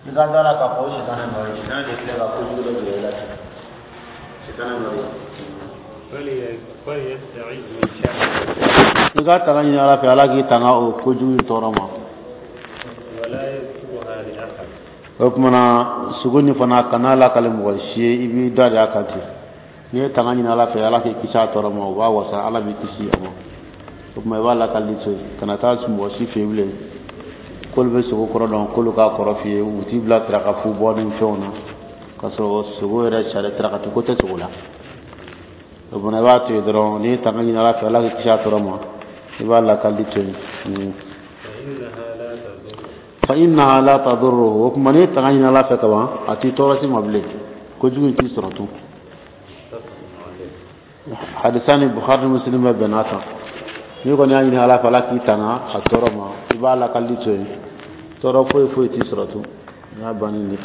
I ka da la k'a fɔ o sitanɛ nɔ ye, sitanɛ de filɛ ka kojugu dɔ jira i la ten, sitanɛ nɔ ye. فليستعذ من شره. I ka tanga ɲini Ala fɛ, Ala k'i tanga o kojugu in tɔɔrɔ ma. ولا يذكرها لأحد. O tuma na, sogo nin fana, kana lakale mɔgɔ si ye, i b'i da de a kan ten. N'i ye tanga ɲini Ala fɛ, Ala k'i kisi a tɔɔrɔ ma, o b'a wasa, Ala b'i kisi a ma. O tuma, i b'a lakali to yen, kana taa mɔgɔ si fɛ yen bilen k'olu bɛ sogo kɔrɔ dɔn, k'olu k'a kɔrɔ f'i ye. U t'i bila saraka fu bɔ ni fɛnw na, k'a sɔrɔ sogo yɛrɛ sariya sarakati ko tɛ sogo la. O fana, i b'a to yen dɔrɔn. N'i ye tanga ɲini Ala fɛ, Ala k'i kisi a tɔɔrɔ ma, i b'a lakali to yen. فإنها لا تضر. فإنها لا تضره. O tuma, n'i ye tanga ɲini Ala fɛ kaban, a t'i tɔɔrɔ si ma bilen, kojugu in t'i sɔrɔ tun. متفق عليه. Hadisa ni Bukhari ni Muslim bɛ bɛn'a kan. N'i kɔni y'a ɲini Ala fɛ, Ala k'i tanga a tɔɔrɔ ma, i b'a lakali to yen, tɔɔrɔ foyi foyi t'i sɔrɔ tun, n y'a bannen de.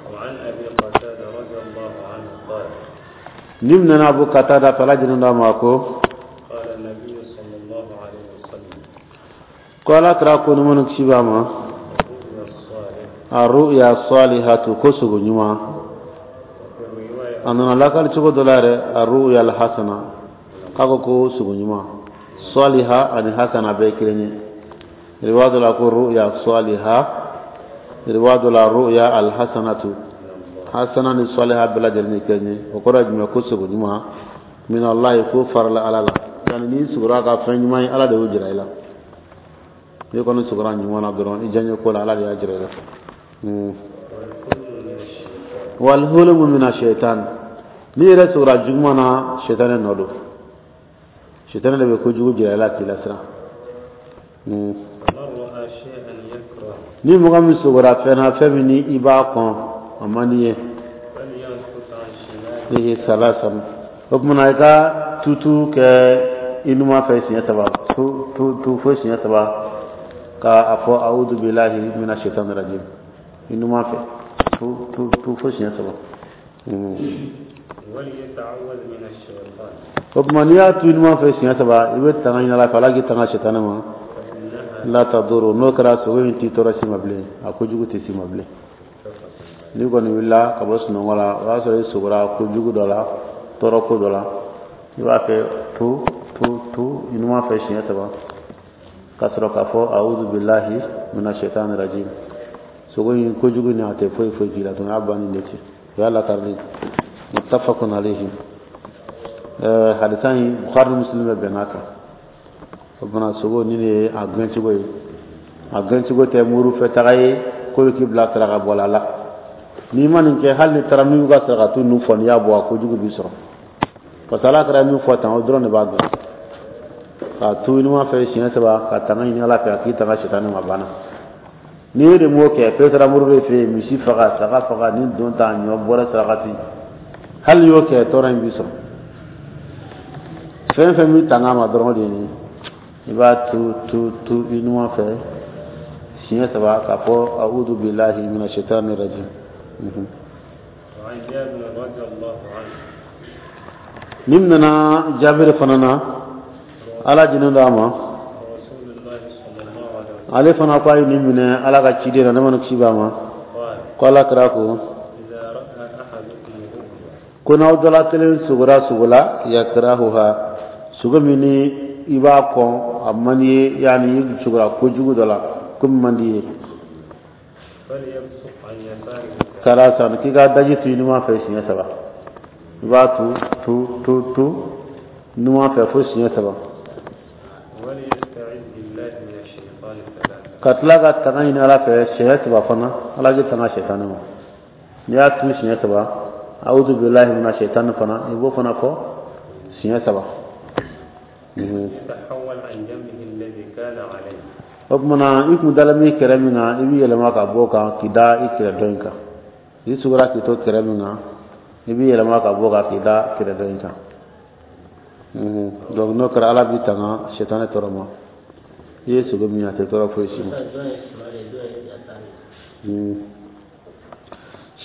وعن أبي قتادة رضي الله عنه قال: Ni minɛna Abu Katada fɛ, Ala jɛnna d'a ma, ko: قال النبي صلى الله عليه وسلم: Ko Ala kira ko, ni kisi b'a ma: الرؤيا الصالح. الرؤيا الصالحة, ko sogo ɲuman. وفي الرواية A nana lakali cogo dɔ la yɛrɛ, الرؤيا الحسنة, k'a ko ko sogo ɲuman, صالحة ani حسنة bɛɛ ye kelen ye. Riwaya dɔ la ko رؤيا صالحة, riwaya dɔ la رؤيا الحسنة. حسنة ni صالحة bɛɛ lajɛlen ye kelen ye. O kɔrɔ ye jumɛn? Ko sogo ɲuman, من الله, ko farala Ala la, yani n'i sugora ka fɛn ɲuman ye, Ala de y'o jira i la. N'i kɔni sugora ɲuman na dɔrɔn, i diyaɲɛ ko la, Ala de y'a jira i la. والحلم من الشيطان. والحلم من الشيطان. N'i yɛrɛ sugora juguman na, sɛtanɛ nɔ don, sɛtanɛ de bɛ kojugu jira i la k'i lasiran. فمن رأى شيئا يكره Ni mɔgɔ min sogora fɛn na, fɛn min ni i b'a kɔn, a man di ye, فلينفث عن شماله ثلاثا, o tuma na, i ka tutu kɛ i numan fɛ siɲɛ saba, tu tu tu fo siɲɛ saba, ka a fɔ أعوذ بالله من الشيطان الرجيم, i numan fɛ, tu tu tu fo siɲɛ saba. وليتعوذ من الشيطان. O tuma, n'i y'a tu i numan fɛ siɲɛ saba, i bɛ tanga ɲini Ala fɛ, Ala k'i tanga sɛtanɛ ma. فإنها لا تضره. N'o kɛra, sogo in t'i tɔɔrɔ si ma bilen, a kojugu tɛ si ma bilen. متفق. N'i kɔni wulila ka bɔ sunɔgɔ la, o y'a sɔrɔ i sogora kojugu dɔ la, tɔɔrɔ ko dɔ la, i b'a fɛ tu tu tu i numan fɛ siɲɛ saba, ka sɔrɔ k'a fɔ أعوذ بالله من الشيطان الرجيم. Sogo in kojugu ni a tɛ foyi foyi k'i la tun, y'a bannen de ten, o y'a lakarili. متفق عليه. Hadisa in, Bukhari ni Muslim bɛ bɛnn'a kan. O fana, sogo ni de ye a gɛncogo ye. A gɛncogo tɛ muru fɛ taga ye k'olu k'i bila saraka bɔla la. N'i ma nin kɛ, hali ni taara min ka sarakatu ninnu fɔ, n'i y'a bɔ, a kojugu b'i sɔrɔ, parce que Ala kɛra min fɔ tan, o dɔrɔn de b'a gɛn. K'a tu ɲuman fɛ siɲɛ saba, ka tanga ɲini Ala fɛ, a k'i tanga sitani ma, banna. N'i ye de m'o kɛ, k'e taara muru de fɛ yen, misi faga, saga faga, ni don ta ɲɔ bɔrɛ sarakati, hali n'i y'o kɛ, tɔɔrɔ in b'i sɔrɔ. Fɛn fɛn b'i tanga ma dɔrɔn, o de ye nin ye. I b'a tu tu tu i numan fɛ siɲɛ saba, k'a fɔ أعوذ بالله من الشيطان الرجيم. وعن جابر رضي الله عنه Ni nana Jabiri fana na, Ala jinin d'a ma: رسول الله صلى الله عليه وسلم Ale fana ko a ye nin minɛ Ala ka ciden na, ne ma kisi b'a ma: قال: Ko Ala kira ko: إذا رأى أحدكم رؤيا Ko n'aw dɔla kelen sogora sogo la, يكرهها, sogo min ni i b'a kɔn, a man di ye, yani i sogora kojugu dɔ la, ko min man di ye, فليبصق عن يساره. ثلاثا, k'i ka daji tu i numan fɛ siɲɛ saba. I b'a tu tu tu tu numan fɛ fo siɲɛ saba. وليستعذ بالله من الشيطان ثلاثا. Ka tila ka tanga ɲini Ala fɛ siɲɛ saba fana, Ala k'i tanga sɛtanɛ ma. N'i y'a tu siɲɛ saba, أعوذ بالله من الشيطان fana, i b'o fana fɔ siɲɛ saba. يتحول عن جنبه الذي كان عليه. O tuma na, i kun dalen bɛ kɛrɛ min kan, i b'i yɛlɛma ka bɔ o kan k'i da i kɛrɛ dɔ in kan. I sugora k'i to kɛrɛ min kan, i b'i yɛlɛma ka bɔ o kan k'i da kɛrɛ dɔ in kan. Donc n'o kɛra, Ala b'i tanga sɛtanɛ tɔɔrɔ ma. I ye sogo min ye, a tɛ tɔɔrɔ foyi si ma.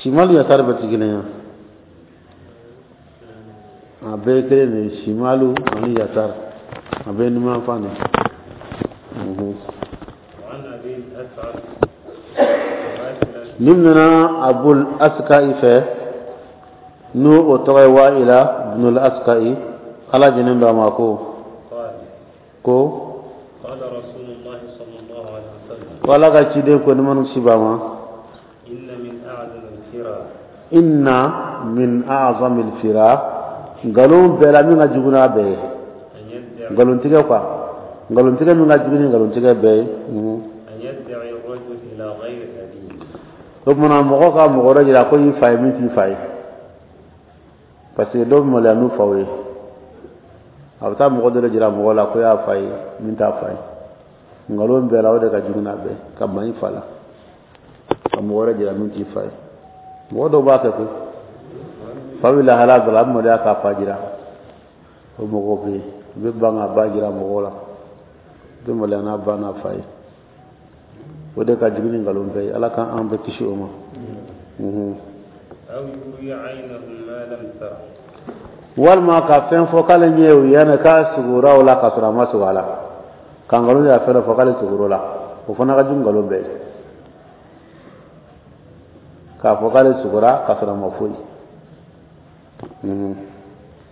شمال يسار bɛɛ tɛ kelen ye, a bɛɛ ye kelen de ye. شمال ani يسار, a bɛɛ ye numan fan de. وعن أبي الأسعد Nin minɛna Abul Aska'i fɛ, n'o o tɔgɔ ye Wa'ila bunul Aska'i, Ala jɛnnen don a ma, ko قال ko قال رسول الله صلى الله عليه وسلم ko Ala ka ciden ko, nɛɛma ni kisi b'a ma: إن من أعظم الفرى إن من أعظم الفرى, nkalon bɛɛ la min ka jugu n'a bɛɛ ye, أن يدعي nkalontigɛ quoi, nkalontigɛ min ka jugu ni nkalontigɛ bɛɛ ye. أن يدعي الرجل إلى غير أبيه. O tuma mɔgɔ ka mɔgɔ wɛrɛ jira ko y'i fa ye min t'i fa ye, parce que dɔw bɛ maloya n'u faw ye, a bɛ taa mɔgɔ dɔ de jira mɔgɔ la ko y'a fa ye min t'a fa ye. Nkalon bɛɛ la, o de ka jugu n'a bɛɛ, ka ban i fa la ka mɔgɔ wɛrɛ jira min t'i fa ye. Mɔgɔ dɔw b'a kɛ koyi, fa bɛ lahala dɔ la, a bɛ maloya k'a fa jira. O mɔgɔw bɛ yen, u bɛ ban k'a ba jira mɔgɔw la, u bɛ maloya n'a ba n'a fa ye. O de ka jugu ni nkalon bɛɛ ye. Ala k'an bɛɛ kisi o ma. أو يري عينه ما لم تر. Walima ka fɛn fɔ k'ale ɲɛ ye o yanni k'a sugora o la, k'a sɔrɔ a ma sugo a la, ka nkalon y'a fɛn dɔ fɔ k'ale sugoro la, o fana ka jugu nkalon bɛɛ ye, k'a fɔ k'ale sugora k'a sɔrɔ a ma foyi.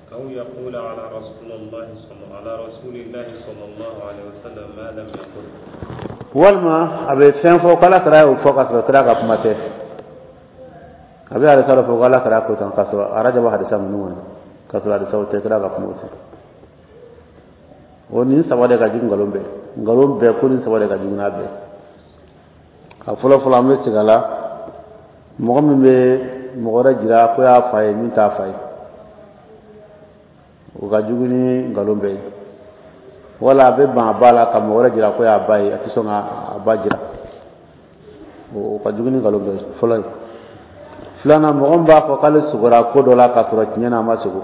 أو يقول على رسول الله صلى الله عليه وسلم ما لم يقل. Walima a bɛ fɛn fɔ k'Ala kira y'o fɔ, k'a sɔrɔ kira ka kuma tɛ. A bɛ hadisa dɔ fɔ k'Ala kira ko tan, k'a sɔrɔ arajaba hadisa ninnu kɔni, k'a sɔrɔ hadisaw tɛ, kira ka kuma tɛ. O nin saba de ka jugu nkalon bɛɛ, nkalon bɛɛ ko nin saba de ka jugu n'a bɛɛ. A fɔlɔ fɔlɔ, an bɛ segin a la, mɔgɔ min bɛ mɔgɔ wɛrɛ jira ko y'a fa ye min t'a fa ye, o ka jugu ni nkalon bɛɛ ye. Wala a bɛ ban a ba la ka mɔgɔ wɛrɛ jira ko y'a ba ye, a tɛ sɔn ka a ba jira, o ka jugu ni nkalon bɛɛ ye, fɔlɔ ye. Filanan, mɔgɔ min b'a fɔ k'ale sugora ko dɔ la k'a sɔrɔ tiɲɛ na a ma sugo,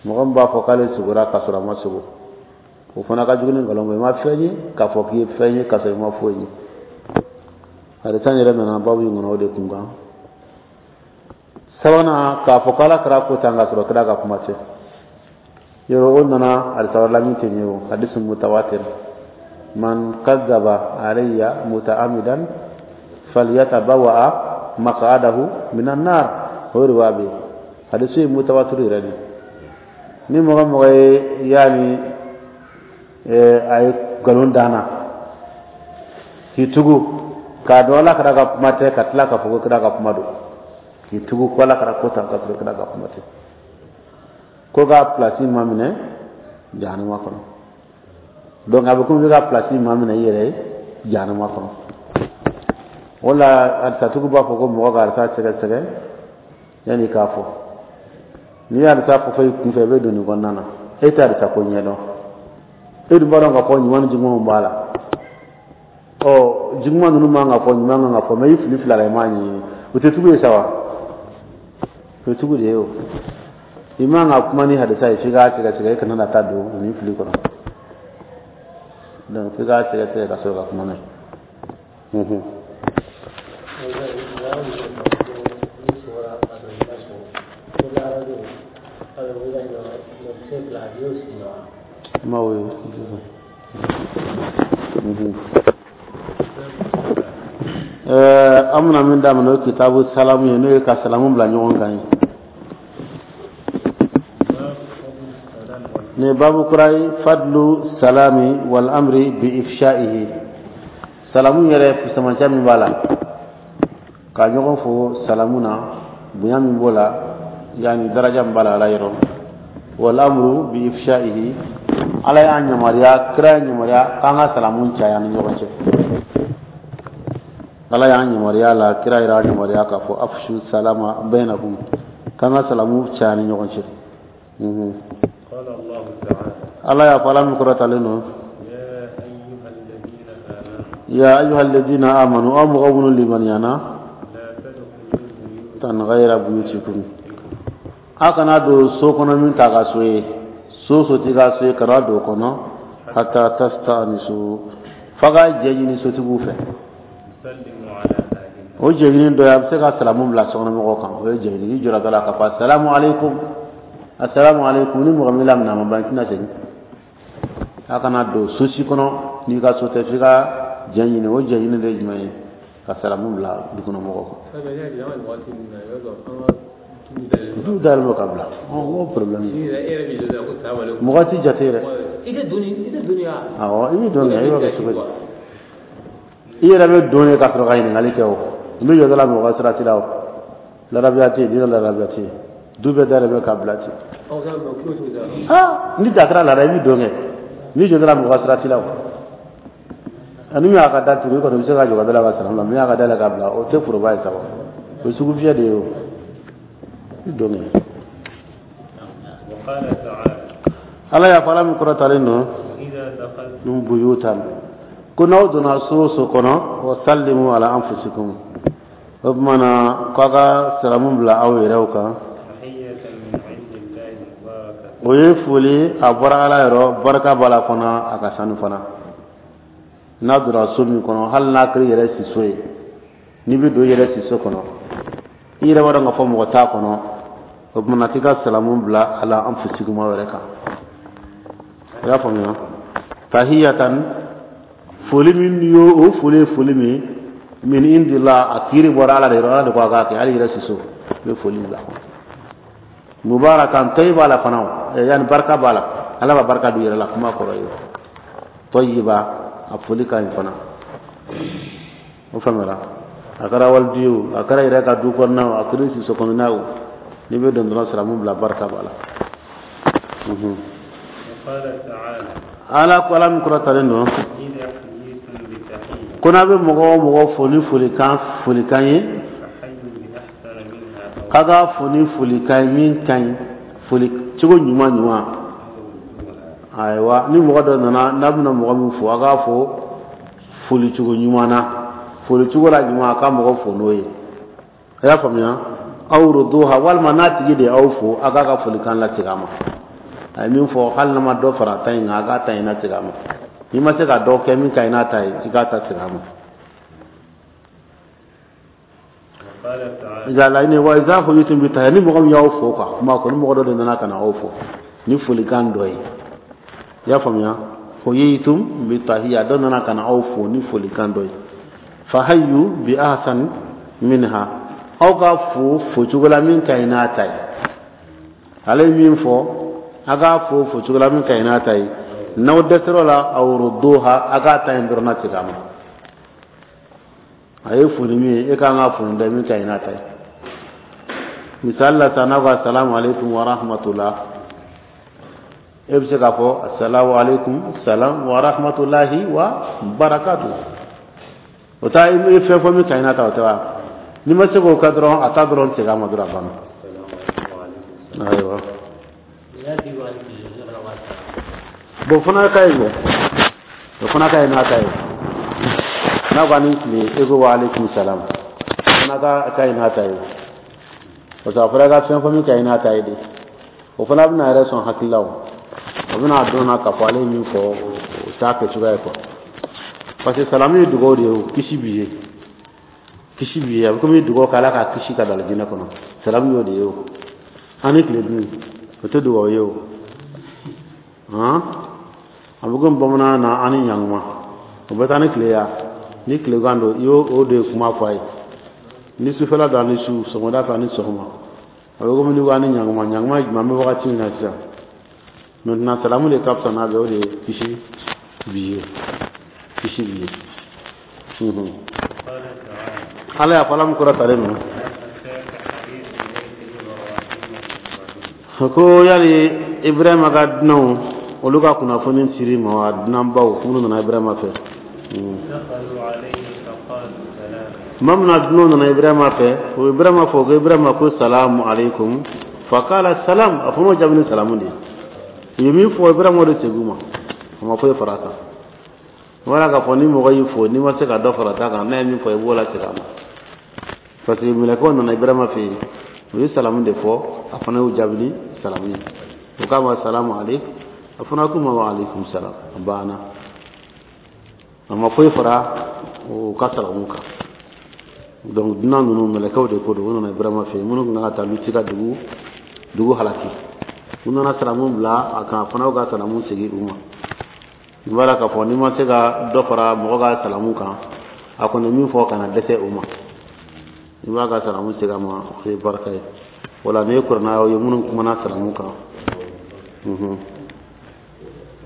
mɔgɔ min b'a fɔ k'ale sugora k'a sɔrɔ a ma sugo, o fana ka jugu ni nkalon bɛɛ ye. I ma fɛn ye k'a fɔ k'i ye fɛn ye k'a sɔrɔ i ma foyi ye. Hadisa yɛrɛ nana babu in kɔnɔ o de kun kan. Sabanan, k'a fɔ k'Ala kira ko tan k'a sɔrɔ kira ka kuma tɛ. Yɔrɔ o nana hadisa wɛrɛ la min tɛ nin ye, o hadisi mutawatir: من كذب علي متعمدا فليتبوأ مقعده من النار. O riwaya bɛ yen, hadisi ye mutawatir yɛrɛ de. Ni mɔgɔ mɔgɔ ye yaani a ye nkalon danna k'i tugu k'a dɔn Ala kira ka kuma tɛ, ka tila k'a fɔ ko kira ka kuma don, k'i tugu ko Ala kira ko tan k'a sɔrɔ kira ka kuma tɛ, ko k'a place maminɛ jahanama kɔnɔ. Donc a bɛ komi i bɛ ka place maminɛ i yɛrɛ ye jahanama kɔnɔ. O la hadisatigiw b'a fɔ ko mɔgɔ ka hadisa sɛgɛsɛgɛ yanni k'a fɔ. N'i ye hadisa fɔ i kunfɛ, i bɛ don nin kɔnɔna na, e tɛ hadisa ko ɲɛdɔn, e dun b'a dɔn k'a fɔ ɲuman ni jugumanw b'a la. Ɔ, juguman ninnu man ka fɔ, ɲuman kan ka fɔ, mɛ i fili fila la, i m'a ɲɛɲini, o tɛ tugu ye sa wa? O ye tugu de ye. O i man ka kuma ni hadisa ye f'i k'a sɛgɛsɛgɛ, i kana na taa don nin fili kɔnɔ. Donc f'i k'a sɛgɛsɛgɛ ka sɔrɔ ka kuma n'a ye. Ma o ye. An bɛna min daminɛ, o ye kitabu salamu ye, n'o ye ka salamu bila ɲɔgɔn kan ye. باب فضل السلام وال Nin ye babu kura ye: فضل السلام والأمر بإفشائه. Salamu yɛrɛ fusamancɛ min b'a la, ka ɲɔgɔn fo salamu na, bonya min b'o la, yani daraja min b'a la Ala yɔrɔ. والأمر بإفشائه, Ala y'an yamaruya, kira y'an yamaruya k'an ka salamu caya ni ɲɔgɔn cɛ. Ala y'an yamaruya la, kira yɛrɛ y'an yamaruya k'a fɔ: أفشوا السلام بينكم, k'an ka salamu caya ni ɲɔgɔn cɛ. قال الله تعالى: Ala y'a fɔ, Ala min kɔrɔtalen don: يا أيها الذين آمنوا يا أيها الذين آمنوا, aw mɔgɔ minnu limaniyana, لا تدخلوا بيوتا tan غير بيوتكم, a kana don so kɔnɔ min t'a ka so ye. So so t'i ka so ye, kana don o kɔnɔ حتى تستأنسوا, f'a ka jɛ ɲini sotigiw fɛ. تسلموا على أهلها. O jɛɲini dɔ ye, a bɛ se ka salamu bila sokɔnɔmɔgɔw kan. O ye jɛɲini, i jɔra da la ka fɔ: السلام عليكم, السلام عليكم. Ni mɔgɔ min laminɛ, a ma ban, i tɛna segin. A kana don so si kɔnɔ n'i ka so tɛ, f'i ka jɛ ɲini. O jɛ ɲini de ye jumɛn ye? Ka salamu bila du kɔnɔ mɔgɔw kan. Du dayɛlɛ ka bila, o problème mɔgɔ ti jate yɛrɛ. Awɔ, i bɛ don kɛ, i b'a kɛ cogo di? I yɛrɛ bɛ don de ka sɔrɔ ka ɲininkali kɛ. O n bɛ jɔ dɔ la, mɔgɔ sira t'i la. O larabiya tɛ yen, diinɛ larabiya tɛ yen. Du bɛɛ dayɛlɛ bɛ ka bila ten. Aa, ni da kɛra laada, i bɛ don kɛ. N'i jɔ dɔ la, mɔgɔ sira t'i la. O ani min y'a ka da tugu, i kɔni bɛ se ka jɔ ka da la ka salamu bila. Min y'a ka da yɛlɛ ka bila, o tɛ foroba ye sa. O ye sugufiyɛ de ye. O i don kɛ. Ala y'a fɔ, Ala min kɔrɔtalen don, buyutan, ko n'aw donna so o so kɔnɔ, wa sallimu ala anfusikum, o tuma na k'aw ka salamu bila aw yɛrɛw kan. O ye foli, a bɔra Ala yɔrɔ, barika b'a la fana, a ka sanu fana. N'a donna so min kɔnɔ, hali n'a kɛra i yɛrɛ siso ye, n'i bɛ don i yɛrɛ siso kɔnɔ, i yɛrɛ b'a dɔn k'a fɔ mɔgɔ t'a kɔnɔ, o tuma na k'i ka salamu bila ala anfusikum, aw yɛrɛ kan. I y'a faamuya? Tahiyatan, foli min y'o o foli ye, foli min min indila, a kiiri bɔra Ala de yɔrɔ. Ala de ko a k'a kɛ. Hali yɛrɛ siso, i bɛ foli bila. Mubarakan tɔyiba la fana, o yanni barika b'a la. Ala b'a barika don yɛrɛ la. Kuma kɔrɔ ye tɔyiba, a foli ka ɲi fana. O faamuyara? A kɛra walidi ye o, a kɛra yɛrɛ ka du kɔnɔna o, a kɛra siso kɔnɔna o, n'i bɛ don dɔrɔn, salamu bila, barika b'a la. Ala ko, Ala min kɔrɔtalen don, ko n'a bɛ mɔgɔ o mɔgɔ fo ni folikan folikan ye, k'a ka fo ni folikan ye min ka ɲi, foli cogo ɲuman ɲuman. Ayiwa, ni mɔgɔ dɔ nana, n'a bɛna mɔgɔ min fo, a k'a fo foli cogo ɲuman na, foli cogo la ɲuman, a ka mɔgɔ fo n'o ye. A y'a faamuya? Aw ruduha, walima n'a tigi de aw fo, a k'a ka folikan lasegin a ma. A ye min fɔ, hali n'a ma dɔ fara a ta in kan, a k'a ta in lasegin a ma. N'i ma se ka dɔ kɛ min ka ɲi n'a ta ye, i k'a ta segin a ma. Nka laɲini, wa iza huyitum bi tahiyya, ni mɔgɔ min y'aw fo ka kuma ko ni mɔgɔ dɔ de nana ka na aw fo ni folikan dɔ ye, i y'a faamuya? Huyitum bi tahiyya, dɔ nana ka na aw fo ni folikan dɔ ye, fahayyu bi ahsan minha, aw ka fo focogo la min ka ɲi n'a ta ye. Ale ye min fɔ, a k'a fo focogo la min ka ɲi n'a ta ye. N'aw dɛsɛr'o la, aw rudduha, a k'a ta in dɔrɔn lasegin a ma. A ye foli min ye, e kan ka foli dɛ min ka ɲi n'a ta ye. Misali la sisan, n'a ko asalamu aleykum wa rahmatullah, e bɛ se k'a fɔ asalamu aleykum salam wa rahmatulahi wa barakatu. O ta, i ye fɛn fɔ min ka ɲi n'a ta, o tɛ wa? N'i ma se k'o kɛ dɔrɔn, a ta dɔrɔn segin a ma dɔrɔn, a banna. Ayiwa, bon, fana ka ɲi dɛ, o fana ka ɲi n'a ta ye. N'a ko a ni tile, e ko wa aleykum salam, o fana ka ɲi n'a ta ye, parce que a fɔra i ka fɛn fɔ min ka ɲi n'a ta ye de. O fana bɛna yɛrɛ sɔn hakili la, o bɛna dɔn na k'a fɔ ale ye min fɔ, o t'a kɛ cogoya ye quoi. Parce que salamu ye dugawu de ye. O kisi b'i ye, kisi b'i ye. A bɛ komi dugawu k'Ala k'a kisi ka don alijinɛ kɔnɔ. Salamu y'o de ye. O an ni tile dun, o tɛ dugawu ye. O han, a bɛ komi bamanan na, an ni ɲankuma, o bɛ taa ni tile ya. Ni tilegan don, i y'o o de ye kuma fɔ a ye. Ni sufɛla don, ani su, sɔgɔmada fɛ ani sɔgɔma, a bɛ komi ni ko an ni ɲankuma. Ɲankuma ye jumɛn? An bɛ wagati min na sisan maintenant, salamu de ka fisa n'a bɛɛ. O de ye kisi b'i ye, kisi b'i ye. Ala y'a fɔ, Ala min kɔrɔtalen don, ko yali Ibrahima ka dunanw, olu ka kunnafoni siri ma wa? Dunanbaw minnu nana Ibrahima fɛ tuma min na, dunanw nana Ibrahima fɛ, o Ibrahima fɔ ko Ibrahima ko salamu aleykum, fakala salam, a fana y'o jaabi ni salamu de ye. U ye min fɔ, Ibrahima o de segin u ma, a ma foyi fara a kan. Wala k'a fɔ ni mɔgɔ y'i fo, n'i ma se ka dɔ fara ta kan, n'a ye min fɔ, i b'o lasegin a ma. Parce que mɛlɛkɛw nana Ibrahima fɛ yen, u ye salamu de fɔ, a fana y'u jaabi ni salamu ye. U k'a ma salamu aleykum, a fana k'u ma wa aleykum salam, a banna. A ma foyi fara u ka salamu kan. Donc dunan ninnu, mɛlɛkɛw de ko don. U nana Ibrahima fɛ yen, minnu tun kan ka taa Luti ka dugu halaki. U nana salamu bila a kan, a fana y'u ka salamu segin u ma. I b'a la k'a fɔ n'i ma se ka dɔ fara mɔgɔ ka salamu kan. A kɔni min fɔ kana dɛsɛ o ma, i b'a ka salamu segin a ma, o ye barika ye. O la n'i ye kuranɛ ye minnu kumana salamu kan.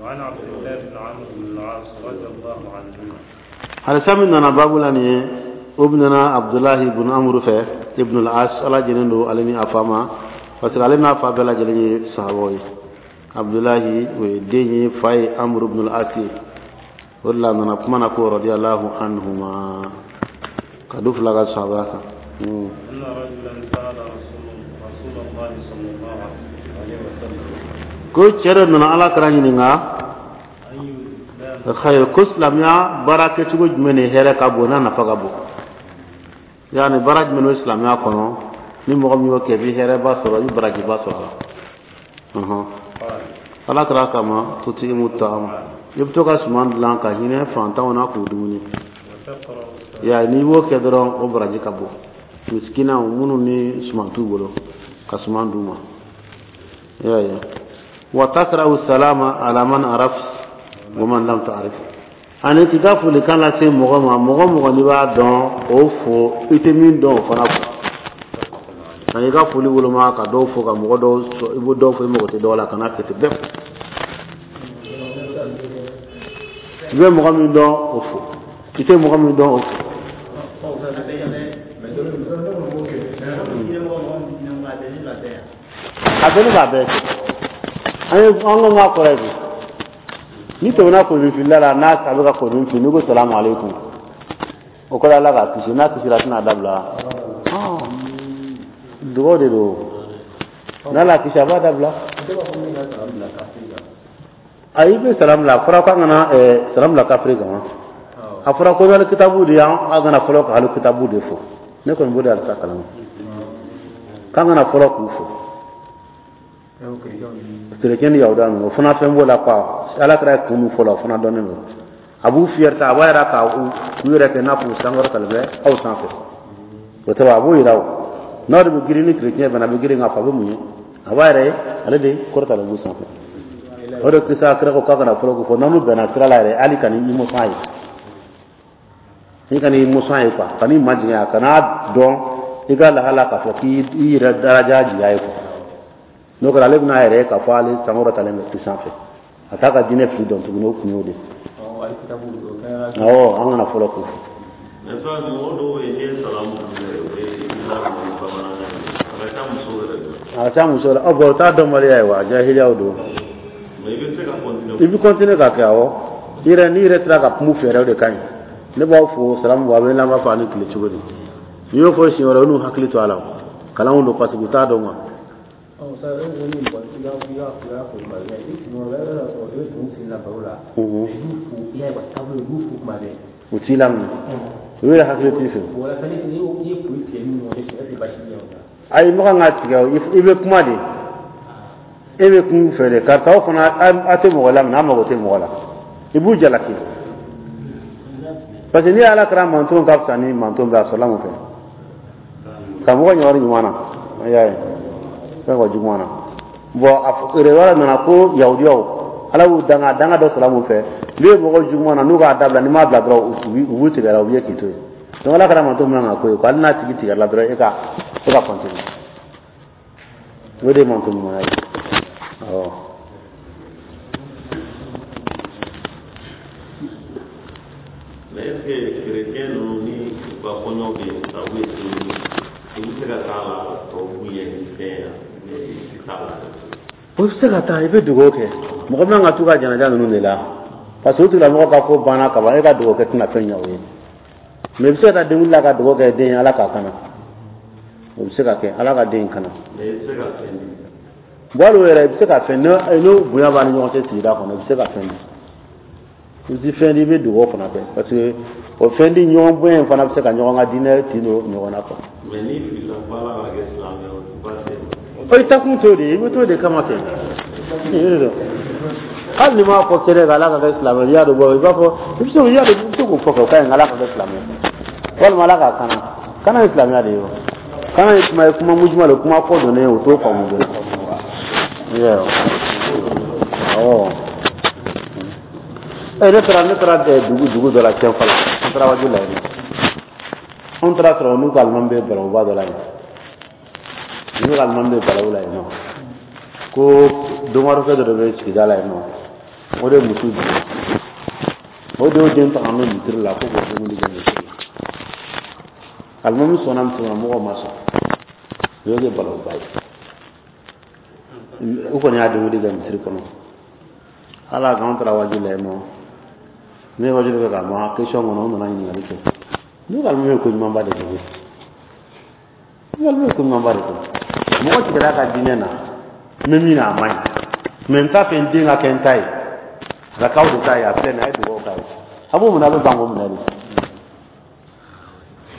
وعن عبد الله بن عمرو بن العاص رضي الله عنهما. Hadisa min nana baabu la nin ye, o bɛna Abdulahi ibn Amru fɛ ibn al-As, Ala jɛnnen don ale ni a fa ma, parce que ale n'a fa bɛɛ lajɛlen ye sahabaw ye. Abdulahi o ye den ye, fa ye Amru ibn al-As ye. O de la a nana kuma na ko radiyallahu anhuma, ka du fila ka sahabaya kan. أن رجلا سأل رسول الله صلى الله عليه وسلم. Ko cɛ dɔ nana Ala kira ɲininka. أي الإسلام خير, ko silamɛya baara kɛcogo jumɛn de hɛrɛ ka bon, n'a nafa ka bon, yaani baara jumɛn bɛ silamɛya kɔnɔ, ni mɔgɔ min y'o kɛ, i bɛ hɛrɛba sɔrɔ, i bɛ barajiba sɔrɔ a la. قال Ala kira kama tuti'imu ta'am, i bɛ to ka suman dilan ka hinɛ fantanw na k'u dumuni. وتقرأ السلام. Ya, n'i b'o kɛ dɔrɔn, o baraji ka bon. Misikinaw minnu ni suman t'u bolo, ka suman d'u ma, i y'a ye. Wa takra'u salama ala man araf wa man lam ta'rif, ani k'i ka folikan lase mɔgɔ ma, mɔgɔ mɔgɔ n'i b'a dɔn, o fo, i tɛ min dɔn, o fana fo. Ani i ka foli woloma ka dɔw fo, ka mɔgɔ dɔw sɔrɔ, i b'o dɔw fo, i mago tɛ dɔw la, kana kɛ ten, bɛɛ fo. I bɛ mɔgɔ min dɔn, o fo, i tɛ mɔgɔ min dɔn, o fo. A bɛɛ ni k'a bɛɛ kɛ. An ye an ko k'a kɔrɔ ye di, n'i tɛmɛna kolonfilila la, n'a a bɛ ka kolon fili, n'i ko salamu aleykum, o kɔrɔ Ala k'a kisi. N'a kisira, a tɛna dabila. Dugawu de don, n'Ala kisi, a b'a dabila. Ayi, i bɛ salamu bila, a fɔra k'an kana salamu bila kafiri kan wa? A fɔra ko hali kitabu de y'an, an kana fɔlɔ ka hali kitabu de fɔ. Ne kɔni b'o de halisa kalama, k'an kana fɔlɔ k'u fɔ, kerecɛn ni yahuda ninnu. O fana fɛn b'o la quoi. Ala kɛra kun min fɔ la, o fana dɔnnen don. A b'u fiyɛrɛ, a b'a yira ka u yɛrɛ kɛ i n'a fɔ u sankɔrɔtalen bɛ aw sanfɛ. O tɛ wa? A b'o yira o n'aw de bɛ girin ni kerecɛn fana a bɛ girin k'a fɔ a bɛ mun ye, a b'a yɛrɛ ye, ale de kɔrɔtalen b'u sanfɛ. O de kisa kira ko k'a kana fɔlɔ k'o fɔ. N'an bɛnna sira la yɛrɛ, hali ka n'i mɔsɔn a ye, i kana i mɔsɔn a ye quoi, ka n'i majigin a kana dɔn i ka lahala k'a fɔ k'i yɛrɛ daraja jigin a ye quoi. N'o kɛra, ale bɛna a yɛrɛ ye k'a fɔ ale sankɔrɔtalen bɛ i sanfɛ, a t'a ka diinɛ fili dɔn tuguni. O kun y'o de ye. Awɔ, an kana fɔlɔ k'o fɔ. Mais ça, mɔgɔ dɔw bɛ yen, n'i ye salamu k'u ye, u bɛ i laminɛ ni bamanankan ye. A ka ca musow yɛrɛ de la. A ka ca muso la. Ɔ bɔn, o t'a dɔnbaliya ye wa, jahiliyaw don. Mais i bɛ se ka continuer. I bɛ continuer k'a kɛ, awɔ. I yɛrɛ, n'i yɛrɛ sera ka kuma u fɛ yɛrɛ, o de ka ɲi. Ne b'aw fo salamu bɔ, a bɛ n'an b'a fɔ a ni tile cogo di. N'i y'o fɔ siɲɛ wɛrɛ, u n'u hakili to a la. Kalanw don, parce que u t'a dɔn quoi. U t'i laminɛ, u yɛrɛ hakili t'i fɛ. Ayi, mɔgɔ kan ka tigɛ o, i bɛ kuma de, e bɛ kun fɛ de, karisa o fana a tɛ mɔgɔ laminɛ, a mago tɛ mɔgɔ la, i b'u jalaki. Parce que n'i ye Ala kɛra manton ka fisa ni manton bɛɛ, a sɔrɔla mun fɛ? Ka mɔgɔ ɲɔgɔn ɲuman na, i y'a ye, fɛn ka juguman na. Bon, a yɛrɛ nana ko yahudiyaw, Ala y'u danga danga dɔ sɔrɔ mun fɛ? N'u ye mɔgɔ juguman na, n'u k'a dabila, n'i m'a bila dɔrɔn, u b'u tigɛ la, u bɛ k'i to yen. Donc Ala kɛra manton min kan ka ko ye ko hali n'a tigi tigɛra la dɔrɔn, e ka continuer, o de ye manton ɲumanya ye, awɔ. Mais est ce que chrétien ninnu ni u ka kɔɲɔ bɛ yen sisan, u bɛ seli, i bɛ se ka taa la tɔw b'u ye ni fɛn ye, i tɛ taa la? O bɛ se ka taa, i bɛ dugawu kɛ. Mɔgɔ min ka t'u ka janaja ninnu de la, parce que o tigilamɔgɔ ka ko banna ka ban, e ka dugawu kɛ tɛna fɛn ɲɛ o ye. Mais i bɛ se ka taa denkundi la ka dugawu kɛ den ye, Ala k'a kana. O bɛ se ka kɛ, Ala ka den in kana. Mais i bɛ se ka fɛn di? Bon, hali o yɛrɛ, i bɛ se ka fɛn, n'o bonya b'a ni ɲɔgɔn cɛ sigida kɔnɔ, i bɛ se ka fɛn di. I bɛ fɛn di, i bɛ dugawu fana kɛ, parce que o fɛn di ɲɔgɔn bonya in fana bɛ se ka ɲɔgɔn ka diinɛ tin don ɲɔgɔn na quoi. Mais n'i filila ko Ala ka kɛ silamɛ ye, o tɛ baasi ye. O i takun t'o de ye, i bɛ t'o de kama kɛ. Hali n'i m'a fɔ kɛnɛ kan Ala ka kɛ silamɛ, i y'a dɔn, bɔ i b'a fɔ, i bɛ se i y'a dɔn, i bɛ se k'o fɔ kɛ, o ka ɲi, Ala ka kɛ silamɛ ye, walima Ala k'a kana. Kana ye silamɛya de ye o. Kana ye kuma ye, kuma mujuma de, kuma kɔ donnen ye, o t'o faamu joona. Awɔ. Ne taara dugu dɔ la Cɛnfala, an taara waju la yen. Anw taara sɔrɔ n'u ka alimami bɛ balawuba dɔ la yen, n'u ka alimami bɛ balawu la yen nɔ, ko domarukɛ dɔ de bɛ sigida la yen nɔ, o de ye muso jigin, o de y'o den ta ka n'o misiri la ko k'o dumuni kɛ misiri la. Alimami sɔnna muso ma, mɔgɔw ma sɔn, o y'o kɛ balawuba ye. U kɔni y'a denkundi kɛ misiri kɔnɔ. Ala k'an taara waaju la yen nɔ, ne ye waaju kɛ ka ban, question kɔnɔ, u nana ɲininkali kɛ. N'u ka alimami ye ko ɲumanba de kɛ koyi, n'u ka alimami ye ko ɲumanba de kɛ. Mɔgɔ tigɛra a ka diinɛ na, n bɛ min na a man ɲi, mais n t'a fɛ n den ka kɛ n ta ye, a ka k'aw de ta ye. A filɛ nin ye, a ye dugawu k'a ye, a b'o minɛ, a bɛ ban k'o minɛ de.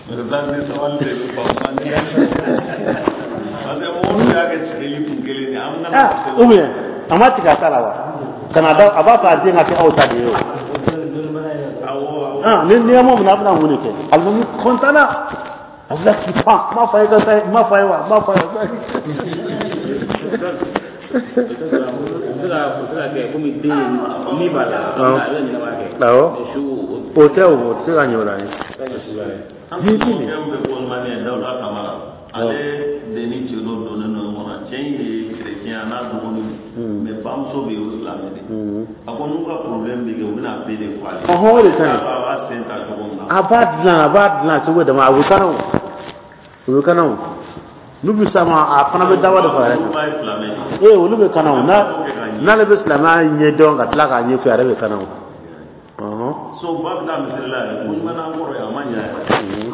Président ni sabali de bɛ ban parce que mɔgɔw y'a kɛ tigɛli kun kelen de ye, an kana. Ou bien a ma tigɛ a ta la wa, ka na da a b'a fɛ a den ka kɛ aw ta de ye o. Awɔ. Ni n'i m'o minɛ, a bɛna mun de kɛ? Alimami kɔntanna, a bɛ k'i pan, n m'a fɔ a ye ka sa, n m'a fɔ a ye wa, n m'a fɔ a ye. Komi den min b'a la, a bɛ ɲɛnamaya kɛ. Awɔ, o tɛ, o tɛ se ka ɲɛ o la ye. An ka mɔgɔkɛ min bɛ Kɔlɔmani ye, Dawuda Kamara, ale de ni cɛ dɔ donnen don ɲɔgɔn na. Cɛ in ye chrétien, a n'a dɔgɔninw, mais bamuso bɛ yen, o silamɛ de. A ko n'u ka problème bɛ kɛ, u bɛna bɛɛ de fɔ ale. Ɔhɔn, o de ka ɲi. A b'a sen ta cogo min na. A b'a dilan, a b'a dilan cogo dama, a bɛ kana o, o bɛ kana o. N'u bɛ s'a ma, a fana bɛ dawa de fara yɛrɛ Olu kan. ba ye silamɛ de. Ee, olu bɛ kana o, n'a n'ale bɛ silamɛya ɲɛ dɔn ka tila k'a ɲɛfɔ, a yɛrɛ bɛ kana o. Ɔhɔn. So ba bɛ taa misiri la yɛrɛ, ko ɲuman n'an kɔrɔ ye, a ma ɲɛ yɛrɛ.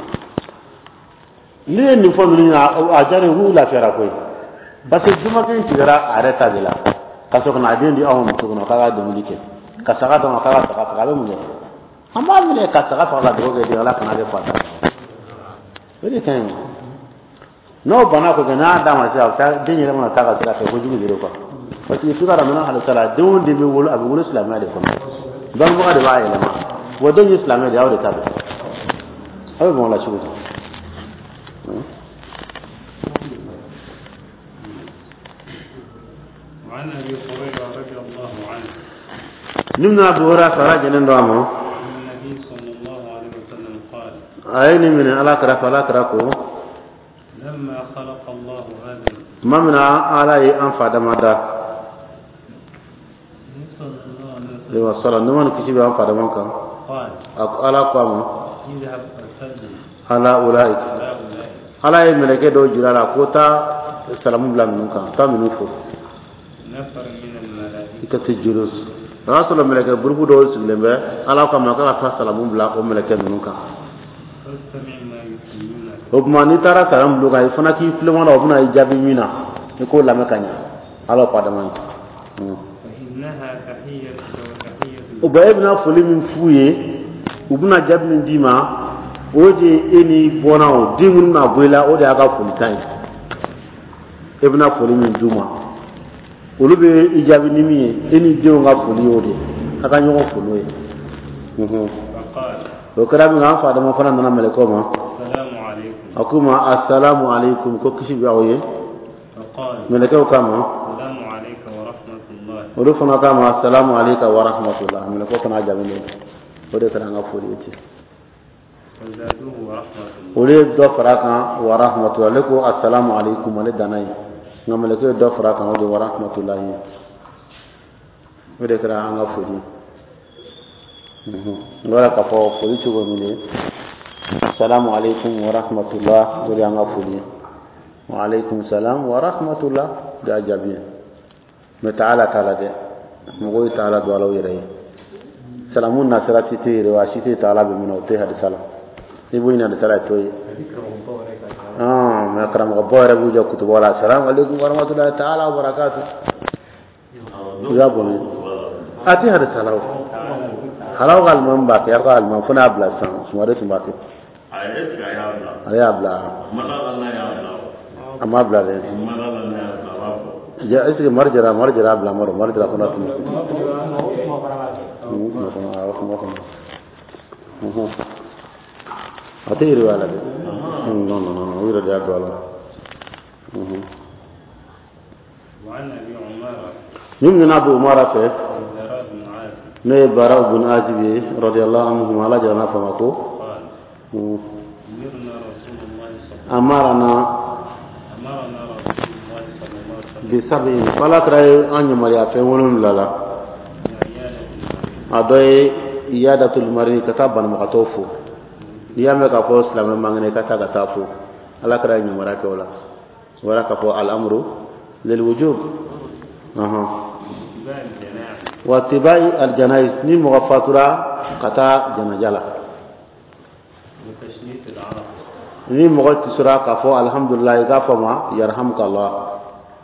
Ne ye nin fɔ ninnu ɲɛna, a diyara u k'u lafiyara koyi, parce que jumakɛ in tigɛra a yɛrɛ ta de la ka sɔrɔ ka na a den di aw ma muso kɔnɔ k'a ka dumuni kɛ, ka saga d'a ma k'a ka saga faga. A bɛ mun kɛ? An b'a minɛ ka saga faga ka dugawu kɛ den, Ala kana kɛ fata. O de ka ɲi. N'o banna ko kɛ, n'a d'a ma sisan, a bɛ taa den yɛrɛ mana taa ka sira fɛ kojugu de don quoi, parce que f'i ka dɔn halisa la, den o den bɛ wolo, a bɛ wolo silamɛya de kɔnɔ, bangebaga de b'a yɛlɛma. Wa den ye silamɛ de ye, aw de ta don, aw bɛ bɔn o la cogo di? وعن أبي هريرة رضي الله عنه. Ni bɛna Abu Hurairah fara jɛnen don a ma. أن النبي صلى الله عليه وسلم قال: A ye nin minɛ Ala kɛrɛfɛ, Ala kɛra ko: لما خلق الله آدم Tuma min na Ala ye an fa dama da, صلى الله عليه وسلم ayiwa sɔrɔ nɛɛma ni kisi bɛ an fa dama kan, قال: a ko, Ala ko a ma: اذهب فسلم على أولئك. على أولئك. Ala ye mɛlɛkɛ dɔw jira a la ko taa salamu bila ninnu kan, taa ninnu fo. نفر من الملائكة. I ka se julus, o y'a sɔrɔ mɛlɛkɛ gurupu dɔw sigilen bɛ. Ala ko a ma k'a ka taa salamu bila o mɛlɛkɛ ninnu kan. فاستمع ما يحيونك. O tuma, n'i taara salamu bila o kan, i fana k'i tulo ma, o bɛna i jaabi min na, i k'o lamɛn ka ɲɛ. Ala ko Adama ye. فإنها تحيتك وتحية O bɛɛ, e bɛna foli min f'u ye, u bɛna jaabi min d'i ma, o de ye e ni bɔnna o den minnu bɛna bɔ i la, o de y'a ka folikan ye. E bɛna foli min d'u ma, olu bɛ i jaabi ni min ye, e ni denw ka foli y'o de ye, a ka ɲɔgɔn fo n'o ye. فقال: O kɛra min, an fa Adama fana nana mɛlɛkɛw ma. السلام عليكم. A k'u ma: asalamu aleykum, ko kisi bɛ aw ye. فقال: Mɛlɛkɛw k'a ma: السلام عليك ورحمة الله. Olu fana k'a ma: asalamu aleyka wa rahmatullah. Mɛlɛkɛw fana jaabi n'o ye. O de kɛra an ka foli ye ten. فزادوه ورحمة الله. Olu ye dɔ fara a kan, wa rahmatullah. Ale ko asalamu aleykum, ale danna ye, nka mɛlɛkɛ ye dɔ fara a kan, o de wa rahmatullah ye. O de kɛra an ka foli ye. N bɔra k'a fɔ foli cogo min de, asalamu aleykum wa rahmatullah, o de y'an ka foli ye. Wa aleykum salam wa rahmatullah, o de y'a jaabi ye. Mais taala t'a la dɛ, mɔgɔw ye taala don Alaw yɛrɛ ye. Salamu nasira si tɛ yɛrɛ wa si tɛ taala bɛ min na, o tɛ hadisa la. I b'o ɲini hadisa la, i t'o ye. Mais karamɔgɔbaw yɛrɛ b'u jɔ kutubaw la: asalamu aleykum wa rahmatulahi taala wa barakatu. I b'a bɔ min, a tɛ hadisa la. O halaw ka alimami b'a kɛ, aw ka alimami fo n'a bila sisan, Sumare tun b'a kɛ. A est ce que a y'a bila? Ale y'a bila. Mada la n'a y'a bila o. A m'a bila dɛ. Mada la n'a y'a bila, a b'a fɔ. Ja, est ce que Mari Jara, Mari Jara y'a bila Mari, Mari Jara fana tun bɛ kuma kɔnɔ, awɔ, kuma kɔnɔ. A tɛ yiriwa la dɛ. Non, non, non, o yɛrɛ de y'a don a la. وعن أبي عمارة Min nana Abu Umara fɛ, البراء بن عازب ne ye Bara bun Azib ye, radiyallahu anhu, Ala jara n'a fama ko قال: أمرنا رسول الله صلى Amarana أمرنا رسول الله صلى الله عليه وسلم Bisabi ko Ala kira ye an yamaruya fɛn wolonwula la. بعيادة المريض. A dɔ ye iyadatul marid, ka taa banabagatɔw fo. N'i y'a mɛn k'a fɔ silamɛ man kɛnɛ, i ka taa ka taa fo. Ala kira ye yamaruya kɛ o la. O bɔra k'a fɔ الأمر للوجوب. واتباع الجنائز. واتباع الجنائز, ni mɔgɔ fatura, ka taa janaja la. وتشميت العاطس. Ni mɔgɔ tisora, k'a fɔ alhamdulilah, i k'a fɔ ma يرحمك الله.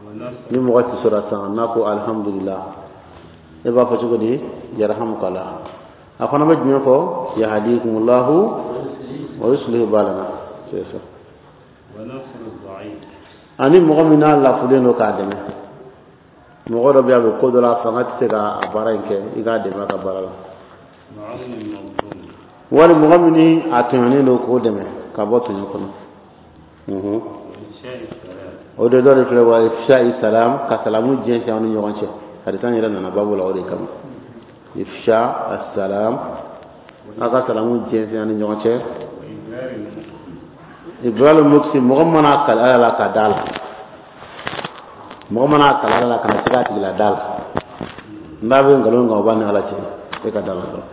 ونصر Ni mɔgɔ tisora sisan, n'a ko alhamdulilah, e b'a fɔ cogo di? يرحمك الله. A fana bɛ jumɛn fɔ? يهديكم الله ويصلح بالنا, c'est ça. ونصر الضعيف. Ani mɔgɔ min n'a lafulen don, k'a dɛmɛ. Mɔgɔ dɔ bɛ yen, a bɛ ko dɔ la, a fanga tɛ se ka a baara in kɛ, i k'a dɛmɛ a ka baara la. وعون المظلوم. Wali mɔgɔ min ni a tɔɲɔnen don, k'o dɛmɛ ka bɔ tɔɲɔ kɔnɔ. وإفشاء السلام. O de dɔ de filɛ, وإفشاء السلام, ka salamu jɛnsɛn aw ni ɲɔgɔn cɛ. Hadisa in yɛrɛ nana babu la o de kama, إفشاء السلام, aw ka salamu jɛnsɛn aw ni ɲɔgɔn cɛ. وإبرار المقسم. إبرار المقسم, mɔgɔ mana kali Ala la, ka da la. Mɔgɔ mana kali Ala la, kana se k'a tigi la da la. N'a bɛ nkalon kan, o b'a ni Ala cɛ. E ka da la dɔrɔn.